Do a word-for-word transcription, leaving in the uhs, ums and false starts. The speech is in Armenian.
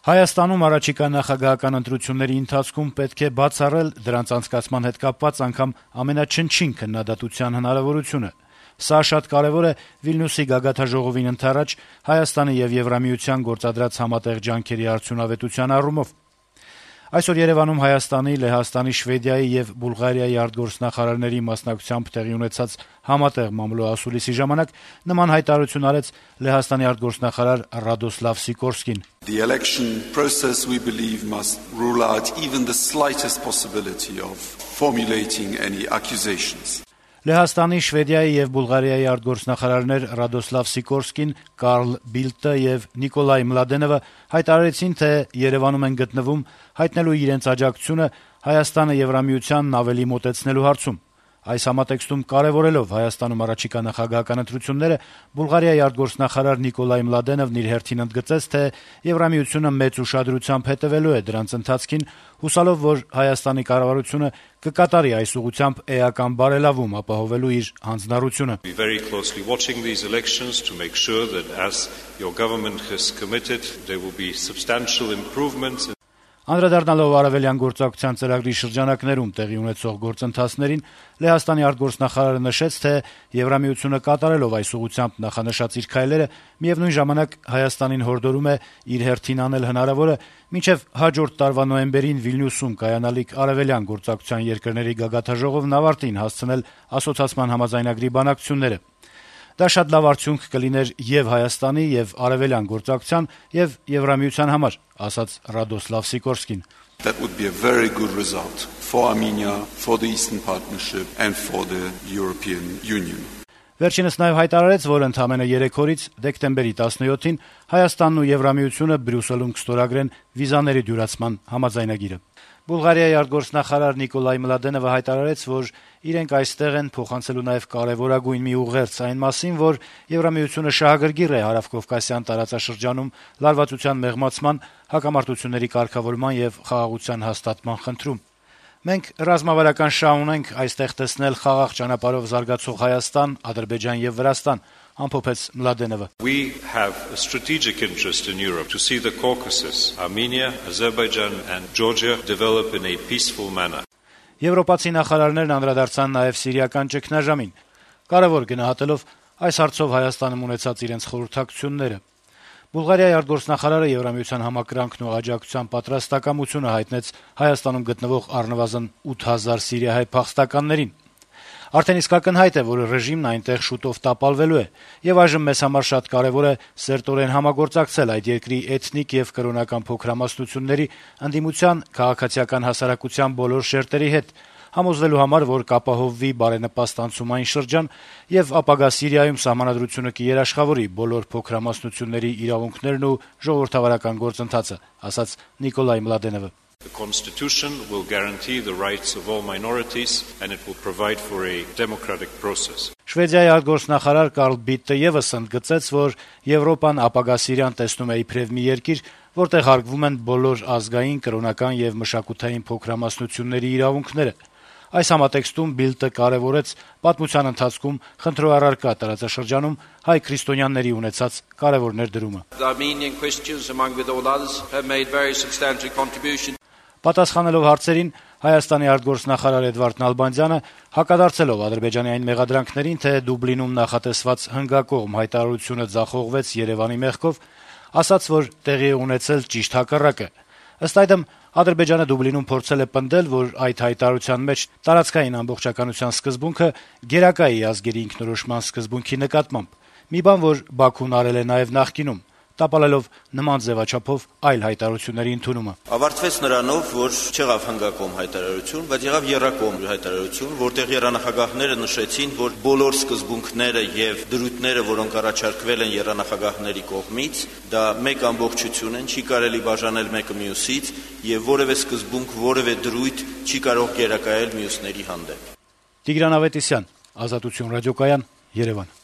Հայաստանում առաջիկա նախագահական ընտրությունների ընթացքում պետք է բացառել դրանց անցկացման հետ կապված անգամ ամենաչնչին քննադատության հնարավորությունը։ Սա շատ կարեւոր է Վիլնյուսի գագաթնաժողովին ընդառաջ Հայաստանի եւ Եվրամիության գործադրած համատեղ ջանքերի արդյունավետության առումով։ Այսօր Երեւանում Հայաստանի, Լեհաստանի, Շվեդիայի եւ Բուլղարիայի արտգործնախարարների մասնակցությամբ տեղի ունեցած համատեղ մամլոասուլիսի ժամանակ նման հայտարարություն արեց Լեհաստանի արտգործնախարար Ռադոսլավ Սիկորսկին. The election process, we believe, must rule out even the slightest possibility of formulating any accusations. Լեհաստանի, Շվեդիայի եւ Բուլղարիայի արտգործնախարարներ Ռադոսլավ Սիկորսկին, Կարլ Բիլտը եւ Նիկոլայ Մլադենովը հայտարարեցին, թե Երեւանում են գտնվում հայտնելու իրենց աջակցությունը Հայաստանը Եվրամիությանն ավելի մոտեցնելու հարցում։ Այս համատեքստում կարեւորելով Հայաստանում առաջիկա նախագահական ընտրությունները, Բուլղարիայի արտգործնախարար Նիկոլայ Մլադենովն իր հերթին ընդգծեց, թե Եվրամիությունը մեծ ուշադրությամբ հետեւելու է դրանց ընթացքին, հուսալով, որ Հայաստանի կառավարությունը կկատարի այս ուղղությամբ էական բարելավում ապահովելու իր հանձնառությունը։ We very closely watching these elections to make sure that as your government has committed there will be substantial improvements. Անդրադառնալով արևելյան գործակցության ծրագրի շրջանակներում տեղի ունեցող գործընթացներին, Լեհաստանի արտգործնախարարը նշեց, թե Եվրամիությունը կատարելով այս ուղղությամբ նախանշած իր քայլերը, միևնույն ժամանակ Հայաստանին հորդորում է իր հերթին անել հնարավորը մինչև հաջորդ տարվա նոյեմբերին Վիլնյուսում կայանալիք արևելյան գործակցության երկրների գագաթնաժողովն ավարտին հասցնել ասոցացման համաձայնագրի բանակցությունները։ Դա շատ լավ արդյունք կլիներ եւ Հայաստանի, եւ արևելյան գործակցության, եւ Եվրամիության համար, ասաց Ռադոսլավ Սիկորսկին. That would be a very good result for Armenia, for the Eastern Partnership and for the European Union. Վերջինս նաեւ հայտարարեց, որ ընդամենը երեք օրից դեկտեմբերի տասնյոթին Հայաստանն ու Եվրամիությունը Բրյուսելում կստորագրեն վիզաների դյուրացման համաձայնագիրը։ Բուլղարիայի արտգործնախարար Նիկոլայ Մլադենովը հայտարարեց, որ իրենք այստեղ են փոխանցելու նաեւ կարեւորագույն մի ուղերձ այն մասին, որ Եվրամիությունը շահագրգիռ է Հարավկովկասյան տարածաշրջանում լարվածության մեղմացման, հակամարտությունների կարգավորման եւ խաղաղության հաստատման խնդրում։ Մենք ռազմավարական շահ ունենք այստեղ տեսնել խաղաղ ճանապարհով զարգացող Հայաստան, Ադրբեջան եւ Վրաստան, ամփոփեց Մլադենովը։ We have a strategic interest in Europe to see the Caucasus, Armenia, Azerbaijan and Georgia develop in a peaceful manner. Եվրոպացի նախարարներն անդրադարձան նաեւ սիրիական ճգնաժամին, կարևոր գնահատելով այս հարցով Հայաստանում ունեցած իրենց խորհրդակցությունները։ Բուլղարիայի արտգործնախարարը Եվրամիության համակրանքն ու աջակցության պատրաստակամությունը հայտնեց Հայաստանում գտնվող առնվազն ութ հազար սիրիահայ փախստականներին։ Արդեն իսկ ակնհայտ է, որ ռեժիմն այնտեղ շուտով տապալվելու է, եւ այժմ մեզ համար շատ կարեւոր է սերտորեն համագործակցել այդ երկրի էթնիկ եւ կրոնական փոքրամասնությունների, ընդդիմության, քաղաքացիական հասարակության բոլոր շերտերի հետ, համոզվելու համար, որ կապահովվի բարենպաստ անցումային շրջան եւ ապագա Սիրիայում սահմանադրությունը կերաշխավորի բոլոր փոքրամասնությունների իրավունքներն ու ժողովրդավարական գործընթացը, ասաց Նիկոլայ Մլադենովը։ The Constitution will guarantee the rights of all minorities and it will provide for a democratic process. Շվեդիայի արտգործնախարար Կարլ Բիլտը եւս ընդգծեց, որ Եվրոպան ապագա Սիրիան տեսնում է իբրև մի երկիր, որտեղ հարգվում են բոլոր ազգային, կրոնական եւ մշակութային փոքրամասնությունների իրավունքները։ Այս համատեքստում Բիլտը կարևորեց պատմության ընթացքում խնդրո առարկա տարածաշրջանում հայ քրիստոնյաների ունեցած կարևոր ներդրումը։ The Armenian Christians, among with all others, have made very substantial contribution. Պատասխանելով հարցերին, Հայաստանի արտգործնախարար Էդվարդ Նալբանդյանը հակադարձելով Ադրբեջանի այն մեղադրանքներին, թե Դուբլինում նախատեսված հնգակողմ հայտարարությունը ձախողվեց Երևանի մեղքով, ասաց, որ տեղի է ունեցել ճիշտ հակառակը։ Ըստ այդմ, Ադրբեջանը Դուբլինում փորձել է պնդել, որ այդ հայտարարության մեջ տարածքային ամբողջականության սկզբունքը գերակա է ազգերի ինքնորոշման սկզբունքի նկատմամբ։ Մի բան, որ Բաքուն արել է նաև նախկինում, տապալելով նման ձևաչափով այլ հայտարարությունների ընդունումը։ Ավարտվեց նրանով, որ չեղավ հնգակողմ հայտարարություն, բայց եղավ եռակողմ հայտարարություն, որտեղ երանախագահները նշեցին, որ բոլոր սկզբունքները եւ դրույթները, որոնք առաջարկվել են երանախագահների կողմից, դա մեկ ամբողջություն են, չի կարելի բաժանել մեկը մյուսից եւ որևէ սկզբունք, որևէ դրույթ չի կարող գերակայել մյուսների հանդեպ։ Տիգրան Ավետիսյան, Ազատություն ռադիոկայան, Երևան։